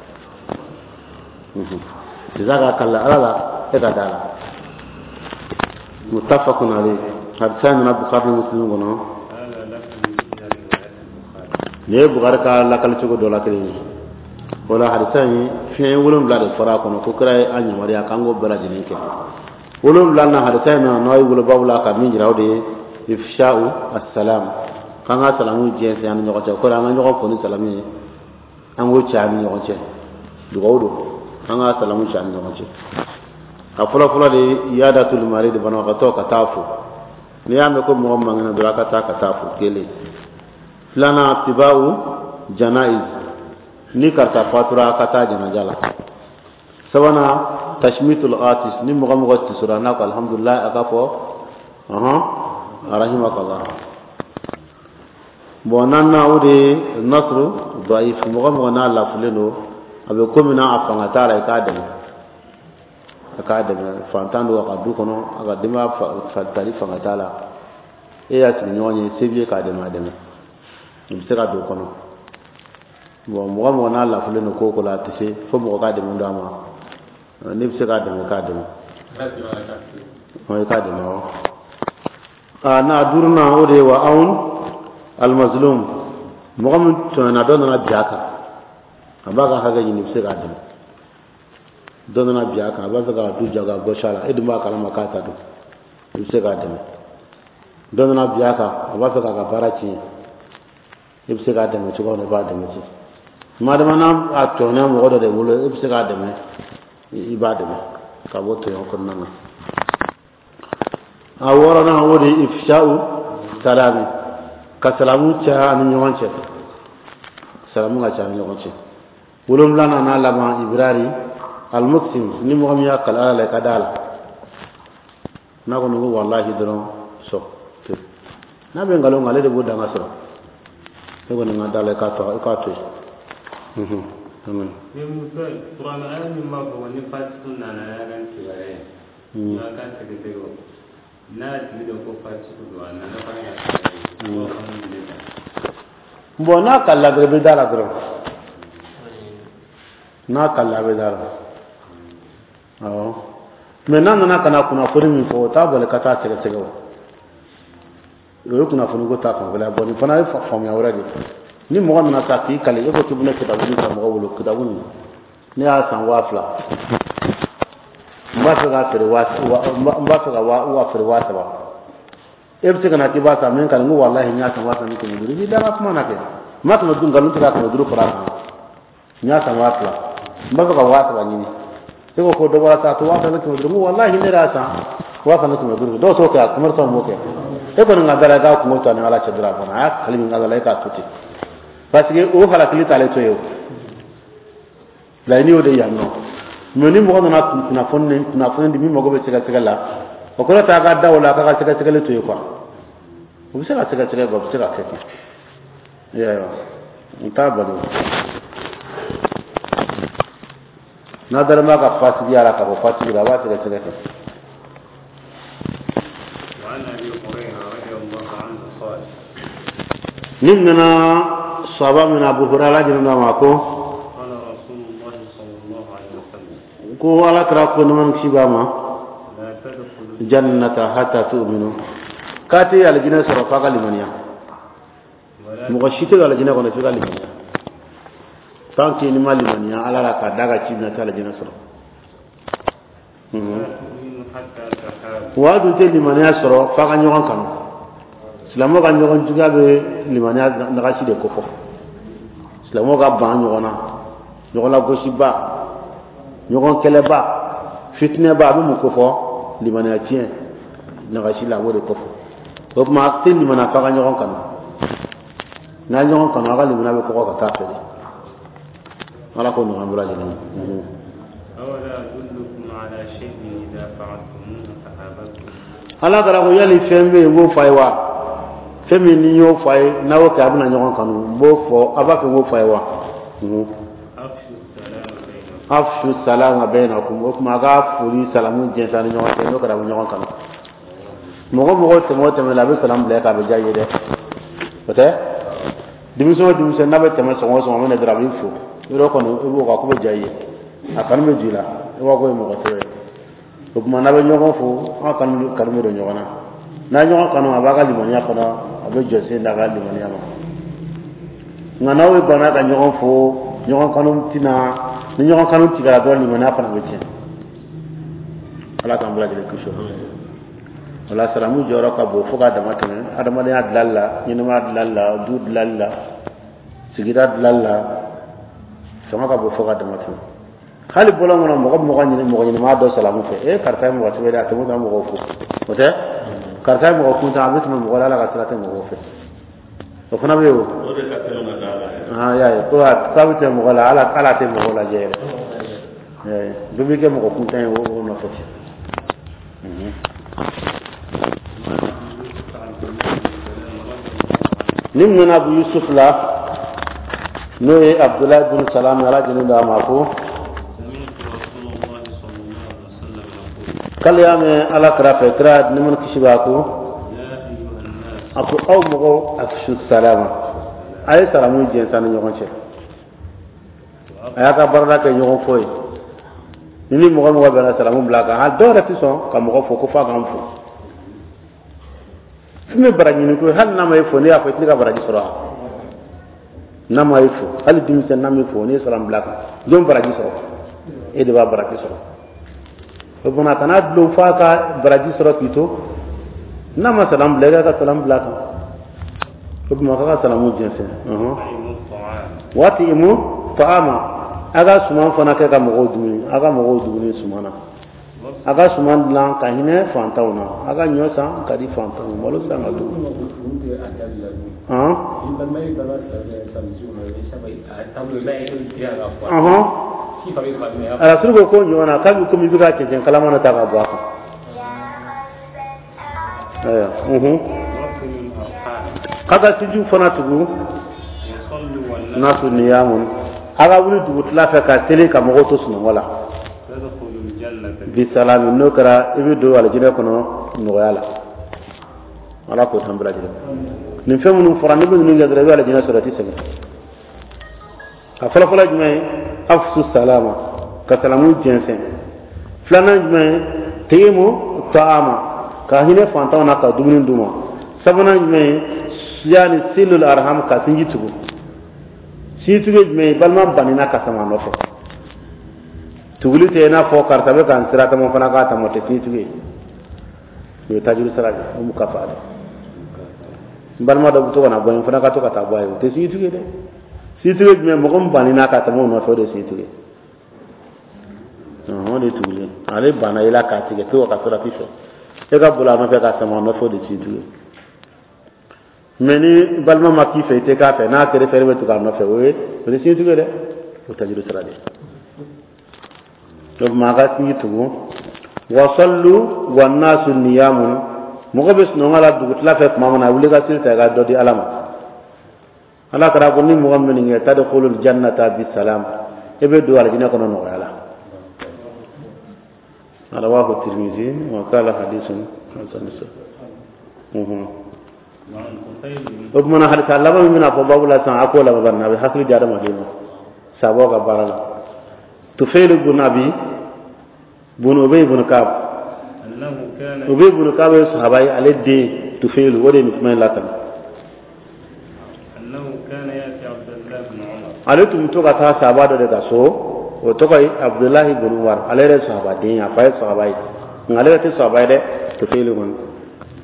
Sisan ka kali Ala la, e ka da la. متفق عليه, hadisa nana Bukhari ni Muslim kɔnɔ. هذا لفظ إحدى روايات البخاري. Nin ye Bukhari ka lakali cogo dɔ la kelen ye. O la, hadisa in, fiɲɛ wolonwula de fɔra a kɔnɔ ko kira ye an yamaruya k'an k'o bɛɛ lajɛlen kɛ. Wolonwula na, hadisa in na n'aw ye wolo babu la ka min jira, o de ye إفشاء السلام, k'an ka salamu jɛnsɛn an ni ɲɔgɔn cɛ. O kɔrɔ, an ka ɲɔgɔn fo ni salamu ye, an k'o cɛ an ni ɲɔgɔn cɛ. Dugawu don, an ka salamu cɛ an ni ɲɔgɔn cɛ. A fɔlɔ fɔlɔ de ye عيادة المريض, banabagatɔ ka taa fo. N'i y'a mɛn ko mɔgɔ man kɛnɛ dɔrɔn, a ka taa ka taa fo, kelen. Filanan, اتباع الجنائز, ni karisa fatura, a ka taa janaja la. Sabanan, تشميت العاطس, ni mɔgɔ mɔgɔ tisora, n'a ko alhamdulilah, a ka fɔ ɔhɔn رحمك الله. Bon, naaninan, o de ye نصر الضعيف, mɔgɔ mɔgɔ n'a lafulen don, a bɛ ko min na, a fanga t'a la, i k'a dɛmɛ, a k'a dɛmɛ. Fantan don, a ka du kɔnɔ, a ka denbaya tali fanga t'a la, e y'a sigiɲɔgɔn ye, se b'i ye k'a dɛmɛ, a dɛmɛ. O bɛ se ka don o kɔnɔ. Bon, mɔgɔ mɔgɔ n'a lafulen don ko o ko la, a tɛ se fo mɔgɔ k'a dɛmɛ don a ma. N'i bɛ se k'a dɛmɛ, k'a dɛmɛ. I k'a dɛmɛ wa. A n'a duurunan, o de ye وعون المظلوم, mɔgɔ min tɔɲɔna, dɔ nana bin a kan, a b'a ka hakɛ ɲini, i bɛ se k'a dɛmɛ. Dɔ nana bin a kan, a b'a fɛ k'a du jago a gɔsi a la, e dun b'a kalama k'a ta don, i bɛ se k'a dɛmɛ. Dɔ nana bin a kan, a b'a fɛ k'a ka baara tiɲɛ, e bɛ se k'a dɛmɛ cogo min na, i b'a dɛmɛ ten. Madama n'a a tɔɲɔna mɔgɔ dɔ de bolo, e bɛ se k'a dɛmɛ, i b'a dɛmɛ ka bɔ tɔɲɔ kɔnɔna na. A wɔɔrɔnan, o de ye إفشاء السلام, ka salamu caya ani ɲɔgɔn cɛ, salamu ka caya ni ɲɔgɔn cɛ. Wolonfilanan n'a laban, إبرار المقسم, ni mɔgɔ min y'a kali Ala la, i ka da la. N'a kɔni ko walahi dɔrɔn, sɔ to n'a bɛ nkalon kan, ale de b'o danga sɔrɔ. E kɔni ka da la, i k'a to yen. Amen. Ni muso kuranɛ aya min b'a fɔ ko ni fasiku nana y'a ka kibaruya ye, n'a ka sɛgɛsɛgɛ o n'a y'a tigi dɔn ko fasiku don, a nana fana ka kibaruya ye, o fana minɛ ta. Bon, n'a kalila dɔrɔn, i bɛ da la dɔrɔn. N'a kalila, a bɛ da la, awɔ. Mais n'a nana ka na kunnafoni min fɔ, o t'a bali ka taa sɛgɛsɛgɛ. O o ye kunnafoni ko ta fanfɛla ye. Bon, nin fana ye faamuya wɛrɛ de ye. Ni mɔgɔ nana sa k'i kali, e ko k'i bɛna kitabu nin san mɔgɔ bolo, kitabu nin, ne y'a san 2000, n b'a fɛ k'a feere waa, n b'a fɛ ka waa feere 3000. E bɛ se ka na k'i b'a san min kan, n ko walahi, n y'a san 2500. I b'i da ka kuma na kɛ, n ma 500 nkalon tigɛ ka 500 fara a kan. N y'a san 2000, n b'a fɛ ka 3000 ɲini. E ko ko dɔ bɔra sa, a to 2500. N ko walahi, ne yɛrɛ y'a san 2500. Dɔw t'o kɛ, a commerçant b'o kɛ. E kɔni ka da la, i k'a kungo to a ni Ala cɛ dɔrɔn, a banna. A y'a kali min Ala la, e k'a to ten, parce que o halakili t'ale to yen. O laɲini y'o de yan nɔ. Mais ni mɔgɔ nana kunnafoni di min mago bɛ sɛgɛsɛgɛ la, o kɔrɔ t'a ka da o la, k'a ka sɛgɛsɛgɛli to yen quoi. O bɛ se ka sɛgɛsɛgɛ quoi, o bɛ se ka kɛ ten. I y'a ye wa? N t'a bali. N'a dalen b'a ka fasigiya la ka bɔ fasigi la, a b'a sɛgɛsɛgɛ ten. وعن أبي هريرة رضي الله عنه قال Nin nana sahaba min Abu Hurairah, Ala jɛnna ma, ko قال رسول الله صلى الله عليه وسلم ko Ala kira ko, nɛɛma ni kisi b'a ma: لا تدخلوا الجنة حتى تؤمنوا, k'a tɛ alijinɛ sɔrɔ f'a ka limaniya. ولا Mɔgɔ si tɛ don alijinɛ kɔnɔ f'i ka limaniya. Tant que n'i ma limaniya Ala la k'a da ka ci minɛ, tɛ alijinɛ sɔrɔ. لا تؤمنوا حتى تحابوا. Wa dun tɛ limaniya sɔrɔ f'a ka ɲɔgɔn kanu. Silamɛw ka ɲɔgɔn juguya bɛ limaniya nagasi de kofɔ. Silamɛw ka ban ɲɔgɔn na, ɲɔgɔn lagosiba, ɲɔgɔn kɛlɛba, fitinɛba, a bɛ mun kofɔ? Limaniya tiɲɛ nagasi la, a b'o de kofɔ. O tuma a tɛ limaniya f'a ka ɲɔgɔn kanu. N'a ye ɲɔgɔn kanu, a ka limaniya bɛ kɔgɔ ka taa fɛ de. Ala k'o nɔgɔya an bɛɛ lajɛlen ye. أولا أدلكم على شيء إذا فعلتموه تحاببتم؟ Ala kɛra ko yali fɛn bɛ yen n b'o fɔ a ye wa? Fɛn min ni n y'o fɔ a ye, n'a y'o kɛ, a bɛna ɲɔgɔn kanu. N b'o fɔ, a b'a fɛ n k'o fɔ a ye wa? أفشوا السلام بينكم. أفشوا السلام بينكم. O tuma a ka foli salamu jɛnsɛn a ni ɲɔgɔn cɛ. N'o kɛra, a bɛ ɲɔgɔn kanu. Mɔgɔ mɔgɔ tɛmɛ o tɛmɛ la, a bɛ salamu bila e kan, a bɛ diya i ye dɛ. O tɛ denmisɛn o denmisɛn n'a bɛ tɛmɛ sɔgɔma o sɔgɔma, a bɛ na dɔrɔn, a b'i fo yɔrɔ kɔni, i b'o kan ko bɛ diya i ye, a kanu bɛ jɔ i la, i b'a ko ye mɔgɔ sɛbɛ ye. O tuma n'a bɛ ɲɔgɔn fo, an kanu kanu bɛ don ɲɔgɔn na. N'a ye ɲɔgɔn kanu, a b'a ka limaniya fana, a bɛ jɔ sen d'a ka limaniya ma. Nka n'aw ye banna ka ɲɔgɔn fo, ɲɔgɔn kanu tɛna. Ni ɲɔgɔn kanu tigɛra dɔrɔn, limaniya fana bɛ tiɲɛ. Ala k'an bɛɛ lajɛlen kisi o ma. O la, salamu jɔyɔrɔ ka bon fo k'a dama tɛmɛ adamadenya dilali la, ɲɛnamaya dilali la, du dilali la, sigida dilali la. Fanga ka bon fo k'a dama tɛmɛ. Hali bɔlɔn kɔnɔ, mɔgɔ bɛ mɔgɔ ɲini, mɔgɔ ɲɛnamaya dɔ salamu fɛ. E, karisa ye mɔgɔ sɛbɛ de, a tɛmɛ tɛmɛ mɔgɔw fo. O tɛ karisa ye mɔgɔ kuntan, a bɛ tɛmɛ mɔgɔ la, Ala ka sira tɛ mɔgɔw fɛ. O fana bɛ yen o. O de ka teli ka d'a la yɛrɛ. Ah, y'a ye ko k'a bɛ tɛmɛ mɔgɔ la, Ala Ala tɛ mɔgɔw lajɛ yɛrɛ. Y'a ye, bɛɛ bɛ kɛ mɔgɔ kuntan ye o nɔfɛ ten. وعن أبي يوسف عبد الله بن سلام رضي الله عنه Ni nana Abu Yusuf la, n'o ye Abdulayi bin Salam, Ala jɛnnen don a ma, ko سمعت رسول الله صلى الله عليه وسلم يقول k'ale y'a mɛn Ala kira fɛ, kira nɛɛma ni kisi b'a ko يا أيها الناس a ko aw mɔgɔw, أفشوا السلام, a ye salamu jɛnsɛn ni ɲɔgɔn cɛ. A y'a ka baarada kɛ ɲɔgɔn fɔ ye. Ni mɔgɔ mɔgɔ bɛnna, salamu bila a kan. Hali dɔw yɛrɛ tɛ sɔn ka mɔgɔ fo ko f'a k'an fo. Fɛn bɛ baraji ɲini ko ye, hali n'a ma e fo, ne y'a fɔ i tɛ ne ka baraji sɔrɔ wa? N'a ma e fo, hali denmisɛn n'a ma e fo, n'i ye salamu bila a kan, jɔn baraji sɔrɔ? E de b'a baraji sɔrɔ. O tuma kana dulon f'a ka baraji sɔrɔ k'i to. N'a ma salamu bila, e ka salamu bila a kan. O tuma k'a ka salamu jɛnsɛn. أطعموا الطعام. وأطعموا الطعام, a ka suman fana kɛ ka mɔgɔw dumuni, a ka mɔgɔw dumuni suman na. A ka suman dilan ka hinɛ fantanw na, a ka ɲɔ san ka di fantanw ma, malo san ka d'u ma. Han, ɔhɔn, Arasulu ko ɲɔ na k'a bɛ komi i bɛ ka cɛncɛn kalama na ta ka bɔ a kan. Ayiwa. وصلوا الأرحام. K'a ka sinjiw fana tugu. وصلوا والناس الناس نيام, a ka wuli dugutila fɛ ka seli ka mɔgɔw to sunɔgɔ la. تدخلوا الجنة بسلام, n'o kɛra, i bɛ don alijinɛ kɔnɔ nɔgɔya la. Ala k'o t'an bɛɛ lajɛlen. Nin fɛn minnu fɔra, n'i bɛ ninnu kɛ dɔrɔn, i bɛ alijinɛ sɔrɔ, i tɛ sɛgɛn. A fɔlɔfɔlɔ jumɛn ye? أفشوا السلام, ka salamu jɛnsɛn. Filanan jumɛn ye? أطعموا الطعام, ka hinɛ fantanw na ka dumuni d'u ma. Sabanan jumɛn ye? Yani صلوا الأرحام, ka sinji tugu. Sinji tugu ye jumɛn ye? Balima banina ka sama a nɔfɛ. Tuguli tɛ i n'a fɔ karisa bɛ ka n sira tama fana k'a tama, o tɛ sinji tugu ye. O ye tajuru sara de, o mu ka fa dɛ. N balima dɔ bɛ to ka na bɔ n fana ka to ka taa bɔ a ye, o tɛ sinji tugu ye dɛ. Sinji tugu ye jumɛn? Mɔgɔ min banina ka tɛmɛ o nɔfɛ, o de ye sinji tugu ye. O de ye tuguli ye. Ale banna i la k'a tigɛ pewu ka sira fɛ, e ka boli a nɔfɛ ka sama a nɔfɛ, o de ye sinji tugu ye. Mɛ ni balima ma k'i fɛ, i tɛ k'a fɛ, n'a kɛra fɛ, e bɛ tugu a nɔfɛ, o tɛ sinji tugu ye dɛ, o tajuru sira de ye. Donc maa ka sinji tugu. وصلوا والناس نيام, mɔgɔ bɛ sunɔgɔ la dugutila fɛ tuma min na, wuli ka seli ta, i ka dɔ di Ala ma. Ala kɛra ko ni mɔgɔ min kɛ, تدخلوا الجنة بسلام, e bɛ don alijinɛ kɔnɔ nɔgɔya la. Rawahu Tirmizi wa qala hadithun hasan. O tuma na hadisa laban min bɛna fɔ babu la sisan, a k'o laban bari a bɛ hakili di adamaden ma sabaw ka baara la. Tufayl bun Abi bun Ubay bun Ka'b, Ubay bun Ka'b ye sahaba ye, ale den Tufayl o de ye nin kuma in lakali. Ale tun bɛ to ka taa sahaba dɔ de ka so, o tɔgɔ ye Abdulahi bun Umar. Ale yɛrɛ ye sahabaden ye, a fa ye sahaba ye, nka ale yɛrɛ tɛ sahaba ye dɛ, Tufayl kɔni.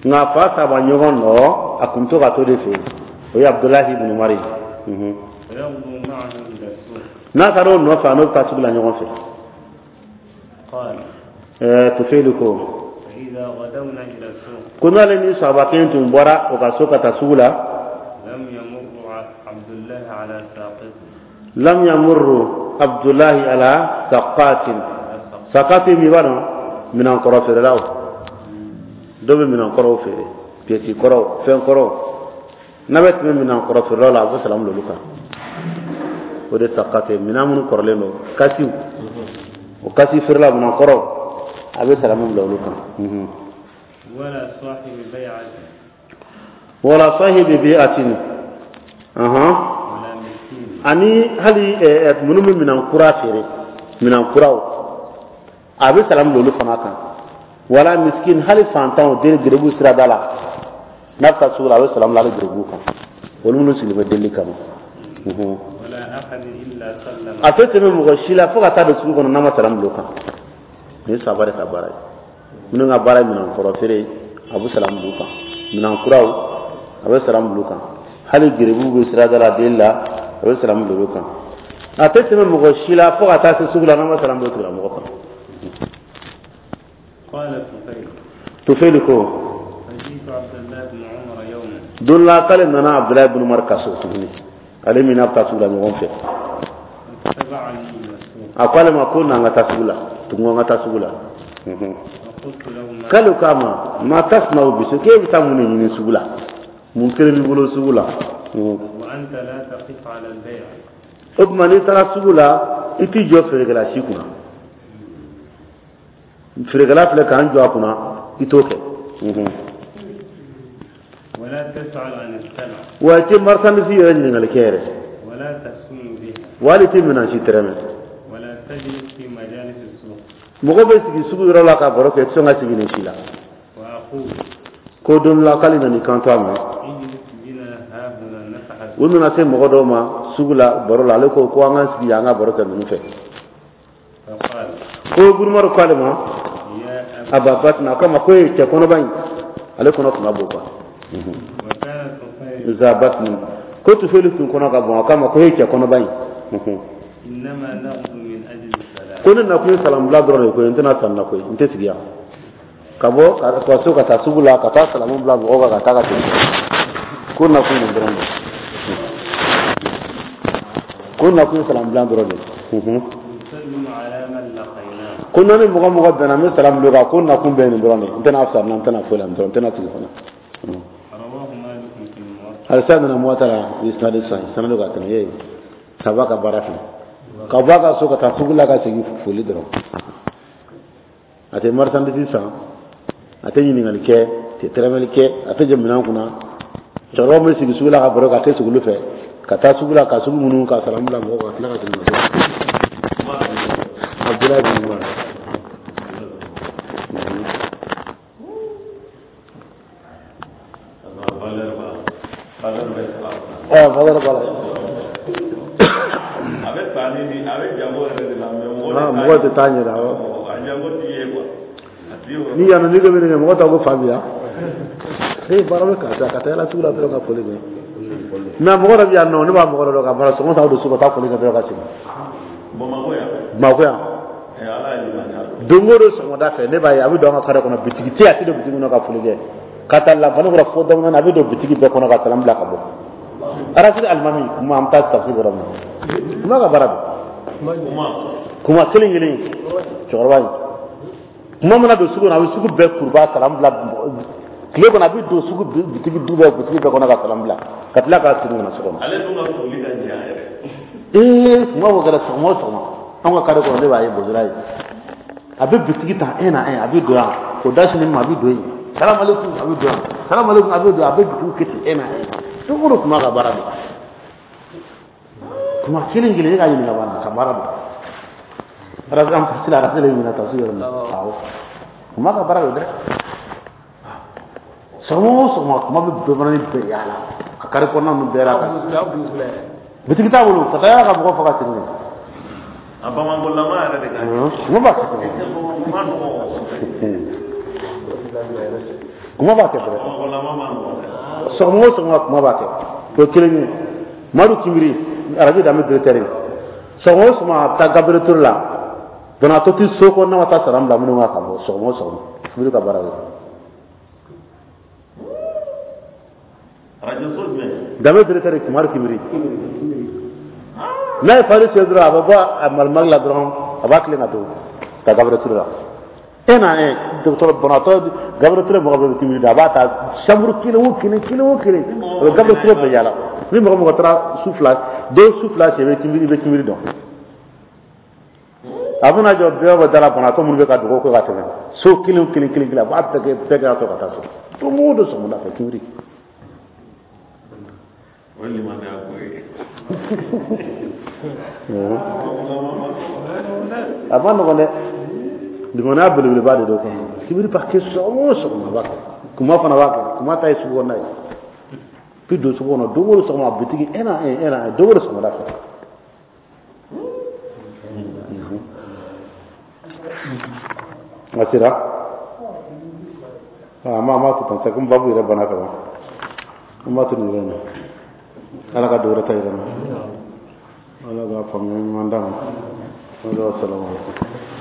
Nka a fa sahaba ɲɔgɔn dɔ, a tun bɛ to ka t'o de fɛ yen, o ye Abdulahi bun Umar ye. N'a taara o nɔfɛ, a n'o bɛ taa sugu la ɲɔgɔn fɛ. Tufayl ko ko n'ale ni sahaba kelen tun bɔra o ka so ka taa sugu la, lam yamurru Abdulahi ala saqatin. Saqatin min b'a dɔn, minankɔrɔ feerelaw dɔw bɛ minankɔrɔw feere, piyɛsi kɔrɔw, fɛn kɔrɔw. N'a bɛ tɛmɛ minankɔrɔ feerelaw la, a bɛ salamu bila olu kan. O de saqatin, minan minnu kɔrɔlen don, kasiw, o kasi feerelaw, minankɔrɔw, a bɛ salamu bila olu kan. Wala sahibi bi'atin, ani hali minnu bɛ minan kura feere, minan kuraw, a bɛ salamu bila olu fana kan. Wala miskin, hali fantanw, den gerebu sirada la, n'a bɛ taa sugu la, a bɛ salamu bila hali gerebu kan, olu minnu sigilen bɛ deli kama. A tɛ tɛmɛ mɔgɔ si la fo ka taa don sugu kɔnɔ n'a ma salamu bila o kan. Nin ye sahaba de ka baara ye. Minnu ka baara ye minan kɔrɔ feere, a bɛ salamu bila u kan. Minan kuraw, a bɛ salamu bila u kan. Hali gerebu bɛ sirada la deli la, a bɛ salamu bila olu kan. A tɛ tɛmɛ mɔgɔ si la fo ka taa se sugu la n'a ma salamu bila o tigilamɔgɔ kan. Tufayl ko don la k'ale nana Abdulayi ibn Umar ka so tuguni, ale min n'a bɛ taa sugu la ɲɔgɔn fɛ. A ko ale ma ko n'an ka taa sugu la tugun, an ka taa sugu la. K'ale k'a ma ma tasna'u bisu, k'e bɛ taa mun de ɲini sugu la, mun kelen b'i bolo sugu la? O tuma n'i taara sugu la, i t'i jɔ feerekɛla si kunna. Feerekɛla filɛ k'an jɔ a kunna, i t'o kɛ. Wa i tɛ marchandise yɛrɛ ɲininkali kɛ yɛrɛ. Wa hali i tɛ minɛn si tɛrɛmɛ. Mɔgɔ bɛ sigi sugu yɔrɔ la ka baro kɛ, i tɛ sɔn ka sigi nin si la. Ko don la k'ale nana i kanto a ma. U nana se mɔgɔ dɔw ma sugu la baro la, ale ko ko an ka sigi an ka baro kɛ ninnu fɛ. Ko Umaru ko ale ma Aba Batna, a ko a ma ko e cɛ kɔnɔba in, ale kɔnɔ tun ka bon quoi. Za Batni, ko Tufayli tun kɔnɔ ka bon, a ko a ma ko e cɛ kɔnɔba in, ko ne nakun ye salamu bila dɔrɔn de koyi, n tɛna sanni na koyi, n tɛ sigi yan. Ka bɔ ka so ka taa sugu la ka taa salamu bila mɔgɔw kan ka taa ka segin, ko nakun nin dɔrɔn de, ko nakun ye salamu bila dɔrɔn de. Ko n'an ni mɔgɔ mɔgɔ bɛnna, n bɛ salamu bila o kan, ko nakun bɛɛ nin dɔrɔn de, n tɛna sanni na, n tɛna foyi la, n tɛna sigi fana. Halisa nana Muwata la isnadi sahih sanadu ka tɛmɛ ye saba ka baara filɛ, ka bɔ a ka so ka taa sugu la ka segin foli dɔrɔn. A tɛ marchandise san, a tɛ ɲininkali kɛ, a tɛ tɛrɛmɛli kɛ, a tɛ jɔ minɛn kunna. Cɛkɔrɔbaw bɛ sigi sugu la ka baro kɛ, a tɛ sigi olu fɛ, ka taa sugu la ka sugu minnu ka salamu bila mɔgɔw kan, ka tila ka segin ka so. Abdulayi bin Umar. Valeur b'a la. A bɛ sanni ni a bɛ jago yɛrɛ de la, mais mɔgɔ tɛ taa ɲɛ awɔ. A jago t'i ye quoi. Ni yan nɔ n'i ko bɛ nin kɛ, mɔgɔ t'a ko fa bi yan. Ee baara bɛ karisa ka taa yala sugu la dɔrɔn ka foli kɛ. Mais mɔgɔ dɔ bɛ yan nɔ, ne b'a mɔgɔ dɔ dɔn ka baara sɔgɔma ta don so ka taa foli kɛ dɔrɔn ka segin. Bamakɔ yan. Bamakɔ yan. Ala ye limaniya don. Don o don sɔgɔmada fɛ ne b'a ye a bɛ don an ka kare kɔnɔ, bitigi tɛ yen, a tɛ don bitigi kɔnɔ ka foli kɛ. Ka taa lafani kɔrɔ fo daminɛ a bɛ don bitigi bɛɛ kɔnɔ ka salam bila ka bɔ. Arasiri alimami kuma an bɛ taa tafsir yɔrɔ min na. Kuma ka baara don. Kuma kelen kelen cɛkɔrɔba in. Kuma mana don sugu kɔnɔ, a bɛ sugu bɛɛ kuruba salam bila tile kɔnɔ, a bɛ don sugu bitigi du bɛɛ bitigi bɛɛ kɔnɔ ka salam bila ka tila k'a segin ka na so kɔnɔ. Ale dun ka foli ka jan yɛrɛ. Ee kuma o kɛra sɔgɔma o sɔgɔma an ka kare kɔnɔ ne b'a ye bozora ye. A bɛ bitigi ta un à un, a bɛ don yan, o da sini ma, a bɛ don yen, salamu aleykum, a bɛ don yan, salamu aleykum, a bɛ don yan, a bɛ bitigiw kɛ ten un à un. Don o don kuma ka baara don, kuma kelen kelen, e ka ɲininka b'a la ka baara don. Arasa an sila arasa de ɲininka ta su yɔrɔ min, awɔ, kuma ka baara don dɛ. Sɔgɔma o sɔgɔma, kuma bɛ bɛɛ bɛɛ yaala ka kari kɔnɔna ninnu bɛɛ la, ka bitigi t'a bolo, ka taa yala ka mɔgɔ faga segin. A bamankolama yɛrɛ de ka kɛ. Kuma b'a kɛ. Kuma nɔgɔ. Kuma b'a kɛ dɛ. Bamankolama ma nɔgɔ dɛ. Sɔgɔma o sɔgɔma, kuma b'a kɛ. O ye kelen ye. Madu Kinbiri, arajo danbe directeur ye, sɔgɔma o sɔgɔma, a bɛ taa Gabriel Touré la, banabaatɔ ti so kɔnɔ n'a ma taa sara bila minnu kan ka bɔ. Sɔgɔma o sɔgɔma, Kinbiri ka baara ye. Arajo so jumɛn? Danbe directeur ye, Kumari Kinbiri. N'a ye fari sen dɔrɔn, a bɛ bɔ a malimali la dɔrɔn, a b'a tilen ka to ka Gabriel Touré la un à un. Dɔgɔtɔrɔ banabaatɔ, Gabriel Touré mɔgɔ bɛɛ bɛ Kinbiri dɔn. A b'a ta chambre kelen o kelen, kelen o kelen, a bɛ Gabriel Touré bɛɛ yaala. Ni mɔgɔ mɔgɔ taara su fila, den su fila sen, i bɛ Kinbiri, i bɛ Kinbiri dɔn. A bɛna jɔ bɛɛ bɛ da la, banabaatɔ minnu bɛ ka dugawu kɛ ka tɛmɛ, so kelen o kelen, kelen kelen, a b'a bɛɛ kɛ, bɛɛ kɛ ka to ka taa so. Don o don sɔgɔmada fɛ, Kinbiri. O ye limaniya ko ye. A ma nɔgɔn dɛ, limaniya belebeleba de don kɔnɔ. Kinbiri b'a kɛ sɔgɔma o sɔgɔma, a b'a kɛ. Kuma fana b'a kɛ. Kuma ta ye sugu kɔnɔna ye, bi don sugu kɔnɔ don o don sɔgɔma, bitigi un à un, un à un, don o don sɔgɔmada fɛ. A sera a ma, a ma to tan sa, komi babu yɛrɛ banna ka ban, an b'a to nin yɔrɔ in na. Ala ka dɔwɛrɛ ta yira n na, Ala ka faamuya ɲuman d'an ma. Salamu aleykum.